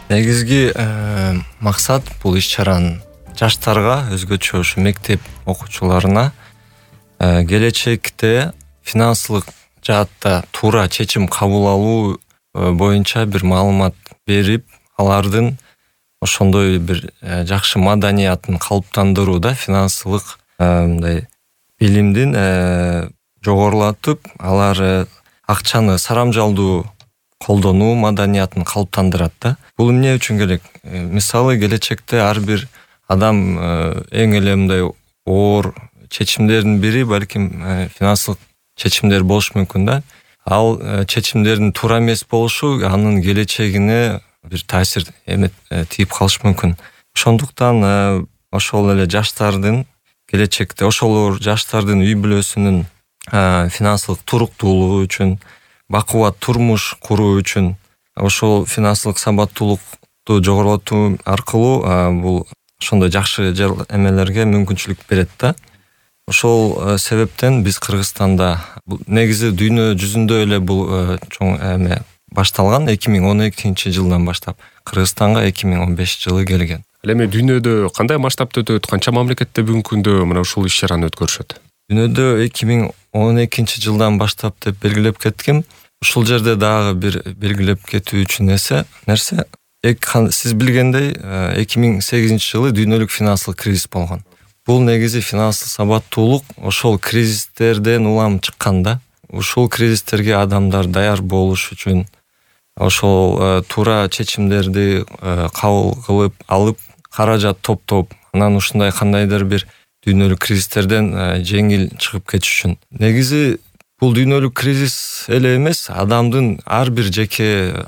Негизги максат бул иш-чаранын жаштарга, өзгөчө ушу мектеп окуучуларына келечекте финансылык жаатта туура чечим кабыл алуу боюнча бир маалымат берип, алардын ошондой бир жакшы маданиятын калыптандырууда финансылык мындай билимдин жогорулатып, алар акчаны сарамжалдуу колдонуу маданиятын калыптандырат да. Бул эмне үчүн керек? Мисалы, келечекте ар бир адам эң эле мындай оор чечимдердин бири балким финансылык чечимдер болушу мүмкүн да. Ал чечимдердин туура эмес болушу анын келечегине бир таасир тийип калышы мүмкүн. Ошондуктан ошол эле жаштардын келечекте, ошол жаштардын үй бүлөсүнүн финансылык туруктуулугу үчүн, бакубат турмуш куруу үчүн ошол финансылык сабаттуулукту жогорулатуу аркылуу бул ошондой жакшы эмелерге мүмкүнчүлүк берет да. Ошол себептен биз Кыргызстанда негизи дүйнө жүзүндө эле бул чоң башталган 2012 жылдан баштап. Кыргызстанга 2015 жылы келген. Ал эми дүйнөдө кандай масштабта өтөт? Канча мамлекетте бүгүнкү күндө мына ушул иш-чараны өткөрүшөт? Дүйнөдө 2012 жылдан баштап деп белгилеп кеткем. Ушул жерде дагы бир белгилеп кетүү үчүн нерсе, сиз билгендей 2008 жылы дүйнөлүк финансылык кризис болгон. Бул негизи финансылык сабаттуулук ошол кризистерден улам чыккан да. Ушул кризистерге адамдар даяр болуш үчүн, ошол туура чечимдерди кабыл кылып алып, каражат топтоп, анан ушундай кандайдыр бир дүйнөлүк кризистерден жеңил чыгып кетиш үчүн. Негизи бул дүйнөлүк кризис эле эмес, адамдын ар бир жеке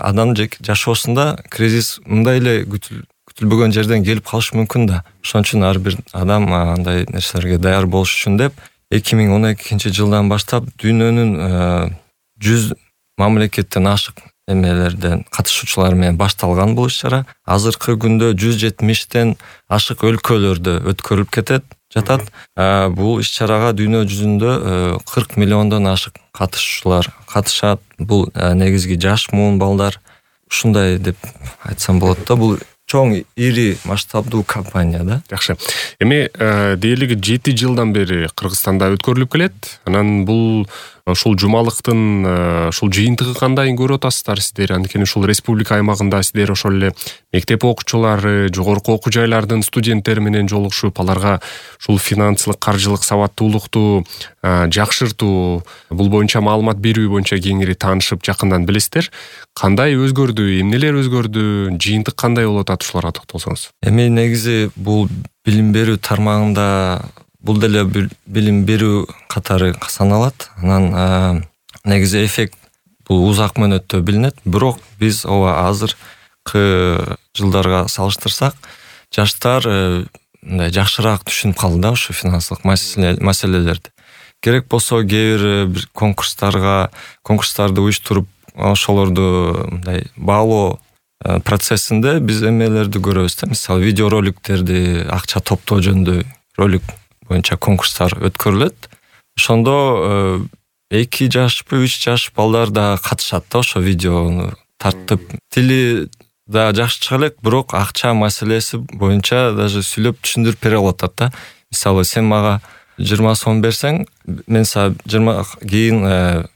жашоосунда кризис мындай эле күтүлбөгөн жерден келип калышы мүмкүн да. Ошон үчүн ар бир адам андай нерселерге даяр болуш үчүн деп 2012 жылдан баштап дүйнөнүн 100 мамлекеттен ашык эмелерден катышуучулар менен башталган бул иш-чара. Азыркы күндө 170тен ашык өлкөлөрдө өткөрүлүп жатат. Бул иш-чарага дүйнө жүзүндө 40 миллиондон ашык катышуучулар катышат. Бул негизги жаш муун балдар. Ушундай деп айтсам болот да. Бул чоң ири масштабдуу компания да. Жакшы. Эми дээрлиги 7 жылдан бери Кыргызстанда өткөрүлүп келет. Анан бул ушул жумалыктын ушул жыйынтыгы кандай көрүп атасыздар сиздер? Анткени ушул республика аймагында сиздер ошол эле мектеп окуучулары, жогорку окуу жайлардын студенттери менен жолугушуп, аларга ушул финансылык, каржылык сабаттуулукту жакшыртуу, бул боюнча маалымат берүү боюнча кеңири таанышып, жакындан билесиздер. Кандай өзгөрдү? Эмнелер өзгөрдү? Жыйынтык кандай болуп атат? Ушуларга токтолсоңуз. Эми негизи бул билим берүү тармагында бул деле билим берүү катары саналат. Анан негизи эффект бул узак мөөнөттө билинет. Бирок биз азыркы жылдарга салыштырсак, жаштар мындай жакшыраак түшүнүп калды да ушу финансылык маселелерди. Керек болсо кээ бир конкурстарды уюштуруп, ошолорду мындай баалоо процессинде биз эмелерди көрөбүз да. Мисалы, видеороликтерди акча топтоо жөнүндө ролик боюнча конкурстар өткөрүлөт. Ошондо 2 жашпы 3 жаш балдар да катышат да, ошо видеону тартып. Тили да жакшы чыга элек, бирок акча маселеси боюнча даже сүйлөп түшүндүрүп бере алат да. Мисалы, сен мага 20 сом берсең, мен сага 20 кийин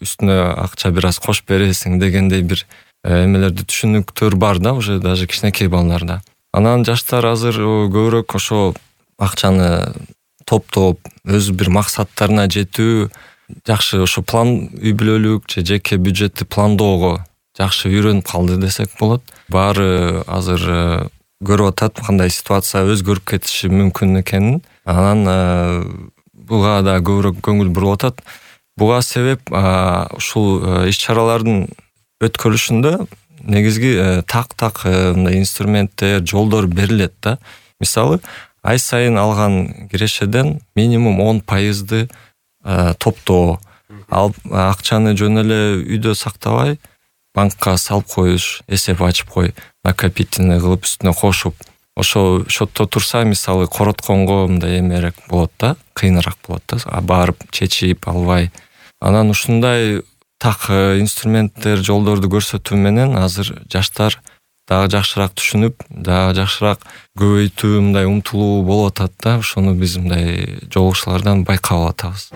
үстүнө акча бир аз кошуп бересиң дегендей бир эмелерди түшүнүктөр бар да, уже даже кичинекей балдарда. Анан жаштар азыр көбүрөөк ошо акчаны топтоп, өз бир максаттарына жетүү, жакшы ошо план, үй бүлөлүк же жеке бюджетти пландоого жакшы үйрөнүп калды десек болот. Баары азыр көрүп атат кандай ситуация өзгөрүп кетиши мүмкүн экенин. Анан буга да көбүрөөк көңүл буруп атат. Буга себеп ушул иш-чаралардын өткөрүлүшүндө негизги так инструменттер, жолдор берилет да. Мисалы, ай сайын алган кирешеден минимум 10% топтоо, акчаны жөн эле үйдө сактабай, банкка салып коюш, эсеп ачып кой, накопительный кылып үстүнө кошуп, ошо шотто турса, мисалы, коротконго мындай эмерээк болот да, кыйыныраак болот да, барып чечип албай. Анан ушундай так инструменттер, жолдорду көрсөтүү менен азыр жаштар дагы жакшыраак түшүнүп, дагы жакшыраак көбөйтүү мындай умтулуу болуп атат да, ошону биз мындай жолугушуулардан байкап атабыз.